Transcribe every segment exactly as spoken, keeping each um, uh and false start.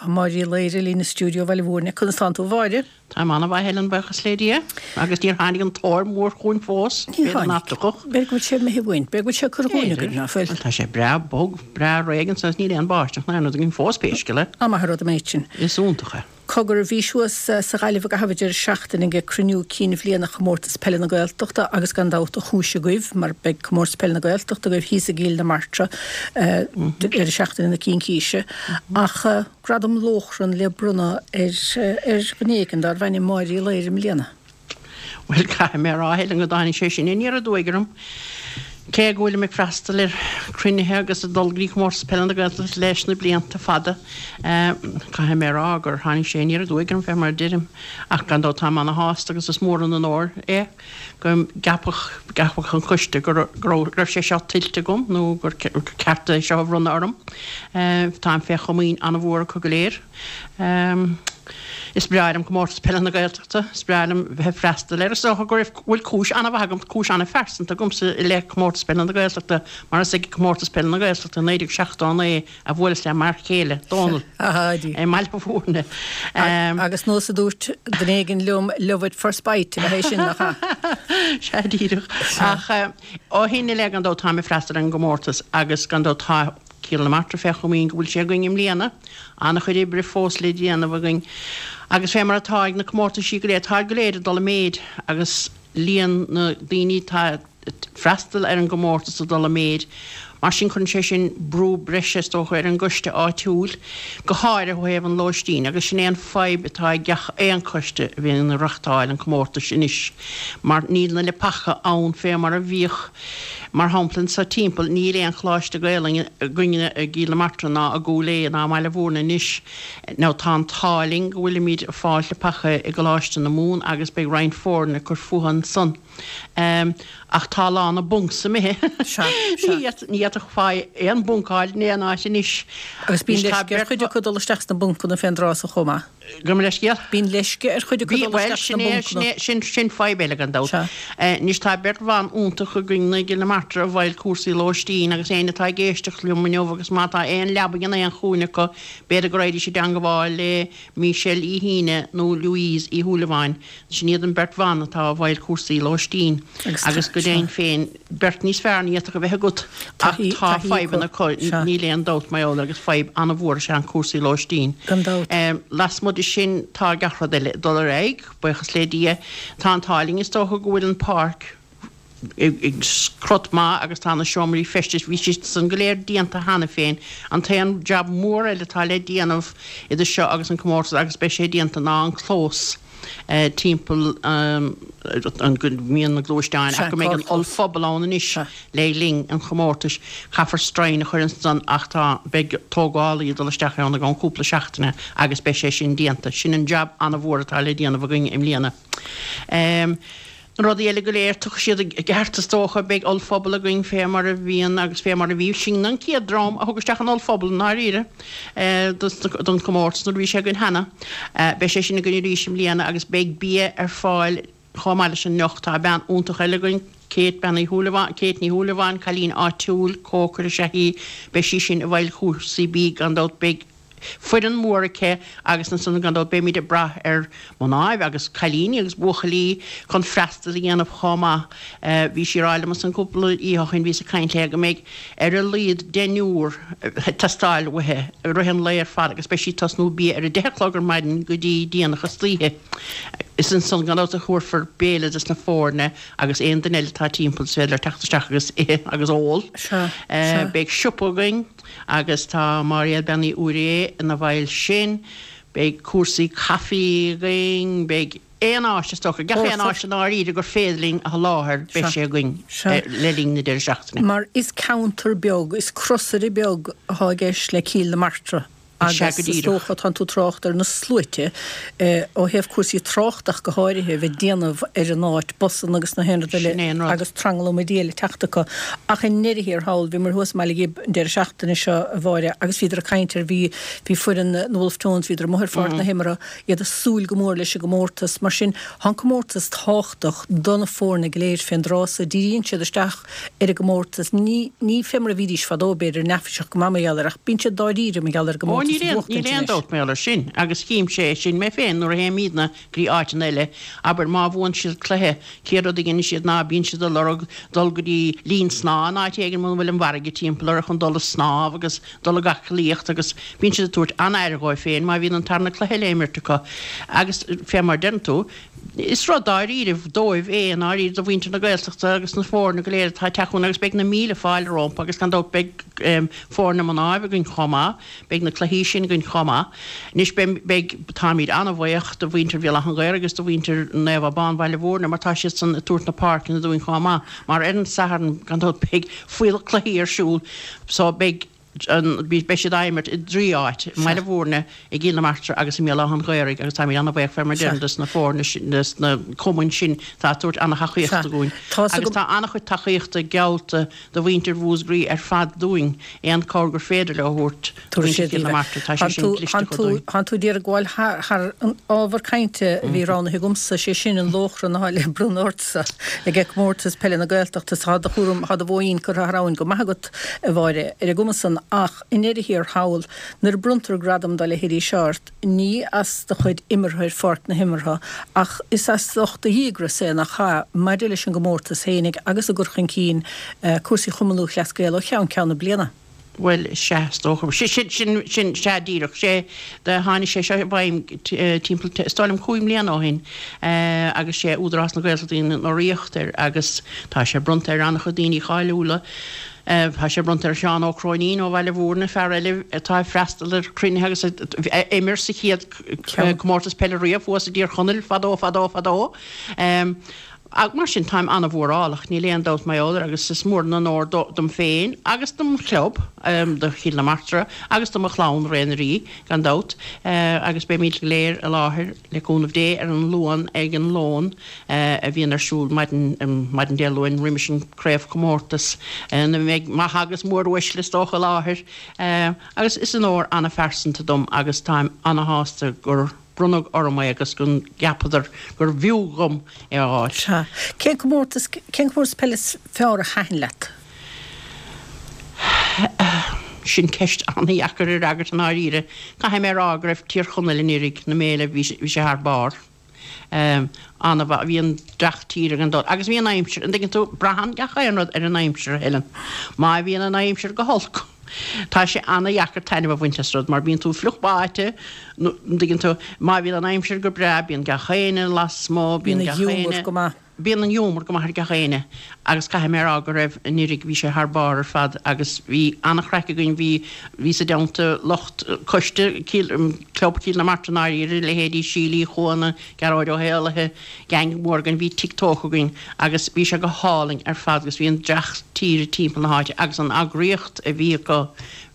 Tá Máire Uí Laoire linn i stiúideo Bhaile Mhúirne. Conas tánn tú a Mháire? Táim an-mhaith Helen, buíochas le Dia. Agus níor tháinig an tóir mór chugainn fós. Níor tháinig. B'fhéidir go bhfuil sé imithe uainn. B'fhéidir go bhfuil sé curtha dhúinn againn, ná fuil? Bhuel, tá sé breá bog, breá réidh anso is níl aon bháisteach ná aon rud againn fós pé scéal é. An maith an rud an méid sin. Is iontach é. Cogar, bhís thuas sa Ghaillimh i gcaitheamh an deireadh seachtaine ag cruinniú cinn bhliana Chomórtas Peile na Gaeltachta agus gan dabht an chúis agaibh mar beidh Comórtas Peile na Gaeltachta agaibh thíos i gCill na Martra deireadh seachtaine na Cincíse. Ach Gradam Lóchrann le bronnadh ar ar dhuine éigin darbh ainm Máire Uí Laoire i mbliana. Bhuel, caithfidh mé a rá, a Helen, go dtáinig sé sin aniar aduaidh orm. Cé go bhfuilim ag freastal ar chruinnithe agus ag dul go dtí Comórtas Peile na Gaeltachta leis na blianta fada, caithfidh mé a rá gur tháinig sé aniar aduaidh orm, fé mar a deirim. Ach gan dabht táim ana-shásta agus is mór an onóir é go gceapfadh, gceapfadh an coiste go raibh, raibh sé seo tuillte agam nó gur ceart é seo a bhronnadh orm. Táim fé chomaoin ana-mhór acu go léir. Is breá liom Comórtas Peile na Gaeltachta, is breá liom bheith ag freastal air. Is dócha go bhfuil cúis an-mhaith agam, cúis an-phearsanta agamsa i leith Comórtas Peile na Gaeltachta mar is ag Comórtas Peile na Gaeltachta i naoi déag seachtó a naoi a bhuaileas le m'fhear céile, Dónal, i mBaile Mhúirne. Agus nós a dúirt duine éigin liom, love at first bite ab ea é sin, nach ea? Sea, díreach. Ach ó shin i leith gan dabht táim ag freastal ar an gcomórtas agus gan dabht tá Cill na Martra fé chomaoin go bhfuil sé againn i mbliana. An-chuid oibre fós le déanamh againn agus fé mar atá ag na comórtaisí go léir, táid go léir ag dul i méid agus líon na daoine atá ag freastal ar an gcomórtas ag dul i méid. Mar sin cuireann sé sin brú breise is dócha ar an gcoiste áitiúil, go háirithe ó thaobh an lóistín agus sin é an fadhb atá ag gach aon choiste a bhíonn ag reachtáil an chomórtais anois mar níl na leapacha ann fé mar a bhíodh. Mar shampla, anso timpeall, níl aon choláiste Gaelainne againne i gCill na Martra ná i gCúil Aodha ná i mBaile Mhúirne anois. Now tá an t-ádh linn go bhfuilimid ag fáilt leapacha i gColáiste na Mumhan agus beidh roinnt foirne ag cur fúthu ansan. Ach tá a lán na bunks imithe. Sea, sea. Ní fhéadfadh fáil aon bhunc a fháil in aon áit anois. Agus bíonn leisce ar chuid acu dul isteach sna buncanna fén dtráth so chomh maith. Gabh mo leithscéal. Bíonn leisce ar chuid acu dul Bhuel, isteach sin sna é, buncanna. sin é, sin, sin fadhb eile gan dabht. Sea. Anois tá beirt bhan iontach againn i gCill na Martra i bhfeighil cúrsaí lóistín agus éinne atá ag éisteacht liom inniu agus má tá aon leabaidh in aon chúinne acu, b'fhéidir go raghaidís i dteangabháil le Michelle Uí hAoine nó Louise Uí Shúilleabháin. Sin iad an bheirt bhan atá i bhfeighil cúrsaí lóistín Agus agus go sea. deimhin féin, beirt níos fearr ní fhéadfadh a bheith agat ach Taithí, tá taithí acu. fadhbanna acu, Sea. níl aon dabht mar gheall air agus fadhb an-mhór is ea an cúrsaí lóistín. Gan dabht. Lasmuigh de sin tá gach rud eile ag dul ar aghaidh, buíochas le Dia. Tá an t-ádh linn is dócha go bhfuil an páirc i gcrot maith agus tá na seomraí feistis, bhí siad san go léir déanta cheana féin. An t-aon jab mór eile atá le déanamh idir seo agus an comórtas agus beidh sé déanta ná an clós. timpeall an go mbíonn na gluaisteáin ach go mbeidh an ollphuball ann anois le linn an chomórtais. Caithfear stroighin a chur ansan ach tá, beidh tógálaí ag dul isteach ann i gceann cúpla seachtaine agus beidh sé sin déanta. Sin an jab an-mhór atá le déanamh againn i mbliana. Na rudaí eile go léir, tiocfaidh siad i gceart is dócha. Beidh ollphuball againn fé mar a bhíonn agus fé mar a bhí. Sin an chéad dream a thug isteach an ollphuball i ndáiríre don chomórtas nuair a bhí sé againn cheana. Beidh sé sin againn arís i mbliana agus beidh bia ar fáil chomh maith leis an ndeoch. Tá bean iontach eile againn, Kate, Bean Uí Shúilleabháin, Kate Ní Shúilleabháin, cailín áitiúil, cócaire is ea í. Beidh sí sin i bhfeighil chúrsaí bídh gan dabht. Beidh. foireann mhór aici agus ansan gan dabht beimid ag brath ar mhnáibh agus cailíní agus buachaillí chun freastal a dhéanamh chomh maith. Bhí sí ag rá liom ansan cúpla oíche ó shin, bhíos ag caint léi, go mbeidh ar a laghad deichniúr ag teastáil uaithi i rith an lae ar fad agus beidh sí ag tosnú bia ar a deich a chlog ar maidin go dtí déanach istoíche. Is ansan gan dabht a thabharfar béile dos na foirne agus aon duine eile atá timpeall is féidir leo teacht isteach agus ithe agus ól. Sea, sea. Beidh siopa againn. Agus tá Máiréad Bean Uí Úiré ina bhfeighil sin. Beidh cúrsaí caife againn, beidh aon áis is dócha, gach aon áis i ndáiríre gur féidir linn a sholáthar, beidh sé againn le linn na deireadh seachtaine. Mar is ceantar beag, is crosaire beag atá i gceist le Cill na Martra Sea, agus go is díreach. dócha, tánn tú ag trácht ar na sluaite, ó thaobh cúrsaí tráchta ach go háirithe, a bheith ag déanamh ar an áit, busanna agus na haon rud eile Sin é an rud. agus tranglam a Dhia le teacht acu. Ach i ndeireadh thiar thall, bhíomar thuas i mBaile Ghib an deireadh seachtaine seo, a Mháire, agus bhíodar ag caint ar, bhí, bhí foireann na Wolfe Tones, bhíodar amuigh ar pháirc na himeartha, iad ag súil go mór leis an gcomórtas. Mar sin, tá an comórtas tábhachtach do na foirne go léir fén dtráth so, díríonn siad isteach ar an gcomórtas. Ní, ní fé mar a bhídís fadó, b'fhéidir, neafaiseach go maith mar gheall air, ach bíonn siad dáiríre mar gheall ar an Ó gcomórtas comórtas a bhuachtaint Níl aon dabht mar sin agus chím-se é sin mé féin nuair a théimidne go dtí áiteanna eile, abair má bhuann siad cluiche, céard rud a dhéanann siad ná bíonn siad ag lorg dul go dtí linn snámha in áit éigin muna bhfuil an bhfarraige timpeall orthu chun dul ag snámh agus dul ag aclaíocht agus bíonn siad ag tabhairt an-aire dhóibh féin má bhíonn an tarna cluiche le imirt acu agus fé mar a deireann tú, is rud dáiríribh dóibh é i ndáiríre do mhuintir na Gaeltachta agus na foirne go léir atá ag teacht chugainn agus beidh na míle fáilte rompu agus gan dabht beidh foirne mnáibh againn chomh maith, beidh na cluichí sin againn chomh maith. Anois beidh, beidh, táimid an-bhuíoch do mhuintir Bhéal Átha an Ghaorthaidh agus do mhuintir Naomh Abán Bhaile Mhúirne mar tá siadsan ag tabhairt na páirceanna dúinn chomh maith mar ar an Satharn gan dabht beidh fuíollach cluichí ar siúl so beidh an, beidh siad á imirt i dtrí áit, i mBaile Mhúirne, i gCill na Martra agus i mBéal Átha an Ghaorthaidh agus táimid an-bhuíoch fé mar a deirim dos na foirne sin, dos na cumainn sin atá ag tabhairt an-thacaíochta dúinn. Agus tá an-chuid tacaíochta geallta do mhuintir Mhúscraí ar fad dúinn, aon cabhair gur féidir leo a thabhairt do mhuintir Chill na Martra, tá sé sin dlisteach dúinn. Tánn tú d'iarraidh gabháil thar an ábhar cainte a bhí roghnaithe agamsa, sé sin an lóchrann atá le bronnadh ortsa ag Comórtas Peile na Gaeltachta. Tá do chúram, tá do bhóín curtha thar abhainn go maith agat, a Mháire, ar an gcuma san. Ach i ndeireadh thiar thall, nuair a bronntar gradam dá leithéidí seo ort, ní as do chuid imeartha ar pháirc na himeartha, ach is as ucht do dhíograis é, nach ea, maidir leis an gcomórtas fhéinig agus i gcur chun cinn cúrsaí Chumann Lúthchleas Gael ó cheann ceann na bliana. Bhuel, sea, is dócha. Sin, sin, sin, sin, sea, díreach. Sé, do tháinig sé seo i bhfeidhm timpeall, is dóigh liom cúig mbliana ó shin, agus sé Údarás na Gaeltachta a dhein urraíocht air agus tá sé bronnta ar an-chuid daoine cáiliúla. Tá sé bronnta ar Sheán Ó Cróinín ó Bhaile Mhúirne, fear eile atá ag freastal ar chruinnithe agus a imir sa chéad comórtas peile riamh thuas i dTír Chonaill fadó, fadó, fadó. Mar sin, táim an-mhórálach, níl aon dabht mar gheall air agus is mór an onóir dom féin agus dom chlub, do Chill na Martra agus do mo chlann, Ré na Rí, gan dabht, agus beimid go léir i láthair, le cúnamh Dé, ar an Luan ag an lón. a bhíonn ar siúl maidin maidin Dé Luain roimis an craobhchomórtas ina mbeidh maithe agus móruaisle is dócha i láthair agus is onóir an-phearsanta dom agus táim an-shásta gur bronnadh orm é agus go gceapadar gur bhfiú dhom é a fháil. Sea. Cén comórtas cén comórtas peile is fearr a thaitin leat? Sin ceist an-dheacair a fhreagairt i ndáiríre. Caithfidh mé a rá go raibh Tír Chonaill anuraidh na mbéile bhí sé thar barr. An-mhaith. Bhí an dreach tíre gan dabht. Agus bhí an aimsir, an dtuigeann tú, braitheann gach aon rud ar an aimsir, a Helen. Má bhíonn an aimsir go holc, tá sé an-dheacair taitneamh a bhaint as rud mar bíonn tú fliuch báite, nó, an dtuigeann tú, má bhíonn an aimsir go breá, bíonn gach éinne lasmuigh, bíonn Bíonn an gach ghiúmar éinne. go maith. Bíonn an ghiúmar go maith ar gach éinne agus caithfidh mé a rá go raibh anuraidh, bhí sé thar barr ar fad agus bhí an-chraic againn, bhí, bhí sa dteannta lucht coiste Cill, Club Chill na Martra i ndáiríre, leithéidí Síle Uí Chuana, Gearóid Ó hÉallaithe, gang mór againn, bhí TikTok againn agus bhí sé go hálainn ar fad agus bhí an dreach tíre timpeall na háite agus an eagraíocht a bhí acu,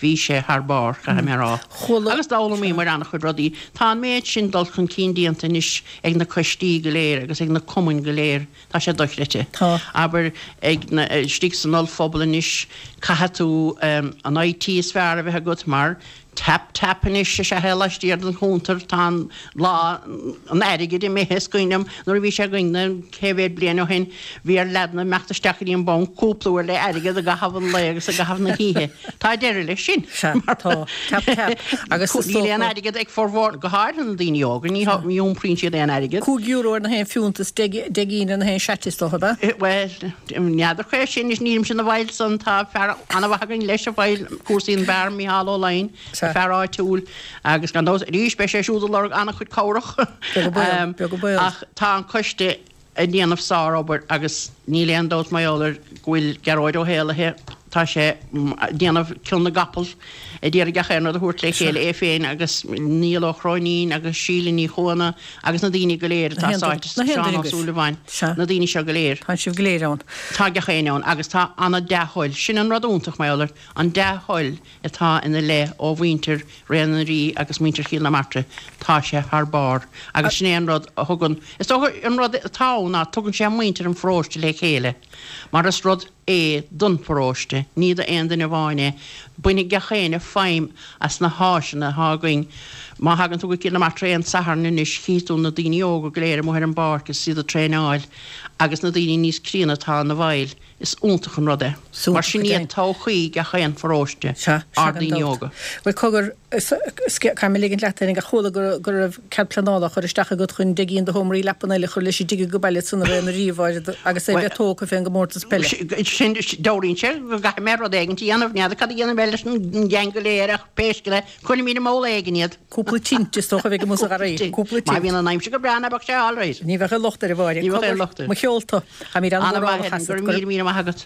bhí sé thar barr, caithfidh mé a rá. Chuala. Agus d'fhoghlaimíomar an-chuid rudaí. Tá an méid sin dul chun cinn déanta anois ag na coistí go léir agus ag na cumainn go léir, tá sé dochreidte. Tá. Abair, ag na, istigh san ollphobal anois, caithfidh tú an IT is fearr a bheith agat mar tap tap anois is ea é laistiar den chuntar, tá an lá an airgid imithe, is cuimhin liom nuair a bhí sé againn na cé mhéad bliain ó shin, bhí ar leaideanna imeacht isteach go dtí an banc cúpla uair le airgead i gcaitheamh an lae agus i gcaitheamh na hoíche. Tá deireadh leis sin. Sea, tá. Tap tap. Agus is Níl aon dócha. airgead ag formhór, go háirithe na daoine óga, ní iompraíonn siad aon airgead. Cúig euro ar na haon phiúnt is deich gcinn ar na haon seat is dócha, ab ea? Bhuel, n'fheadar cá sin, anois nílimse ina bhfeighil san, tá fear an-mhaith againn leis a fheighil cúrsaí an beár, Micheál Ó Laighin, fear áitiúil, agus gan dabht arís beidh sé siúd ag lorg an-chuid cabhrach. Beag an baol, beag an baol. Ach tá an coiste ag déanamh sár-obair agus níl aon dabht mar gheall air go bhfuil Gearóid Ó hÉallaithe, tá sé ag déanamh cion na gcapall, ag iarraidh gach aon rud a thabhairt le chéile, é féin agus Niall Ó Cróinín agus Síle Ní Chuana agus na daoine go léir atá sáite, Seán Ó Súilleabháin, na daoine seo go léir. Tá sibh go léir ann. Tá gach éinne ann agus tá an-dea-thoil, sin an rud iontach mar gheall air, an dea-thoil atá ina leith ó mhuintir Ré na Rí agus muintir Chill na Martra, tá sé thar barr agus sin é an rud a thugann, is dócha an rud atá ann ná tugann sé muintir an pharóiste le chéile mar is rud é don pharóiste, ní d'aon duine amháin é. Bainfidh gach éinne feidhm as na háiseanna atá againn, Má thagann tú go Cill na Martra aon Satharn anois chífidh tú na daoine óga go léir amuigh ar an bpáirc is iad ag traenáil agus na daoine níos críonna atá ina bhfeighil. Is iontach an rud é. Mar sin iad todhchaí gach aon pharóiste, ár ndaoine óga. Bhuel cogar, caithfidh mé ligint leat féinig ach chuala go raibh cead pleanála á chur isteach agat chun deich gcinn de sheomraí leapan eile a chur leis an dtigh go baile san a raibh na ríomhaire agus é a bheith tógtha fén gcomórtas peile. Sin, dealraíonn sé go gcaithfidh mé rud éigin a dhéanamh, n'fheadar cad a dhéanfaidh mé leis an gceann go léir ach pé scéal é, cuirfimid i mball éigin iad. Cúpla tint is dócha a bheidh amuigh sa gharraí. Cúpla tint. Má bhíonn an aimsir go breá ná beadh sé alright. Ní bheadh aon locht air a Mháire. Ní bheadh aon locht air. Mo cheolta. Táimid An-mhaith, Helen. Go raibh míle míle maith agat.